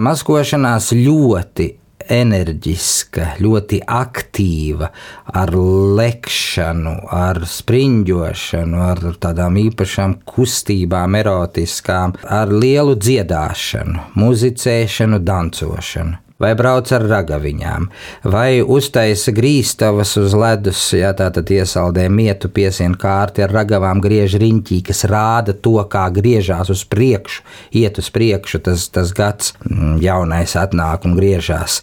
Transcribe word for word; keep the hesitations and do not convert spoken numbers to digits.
Maskošanās ļoti enerģiska, ļoti aktīva, ar lekšanu, ar spriņģošanu, ar tādām īpašām kustībām, erotiskām, ar lielu dziedāšanu, muzicēšanu, dancošanu. Vai brauc ar ragaviņām, vai uztaisa grīstavas uz ledus, jā, tātad iesaldē mietu, piesien kārti ar ragavām, griež riņķī, kas rāda to, kā griežās uz priekšu, iet uz priekšu, tas, tas gads jaunais atnāk un griežās.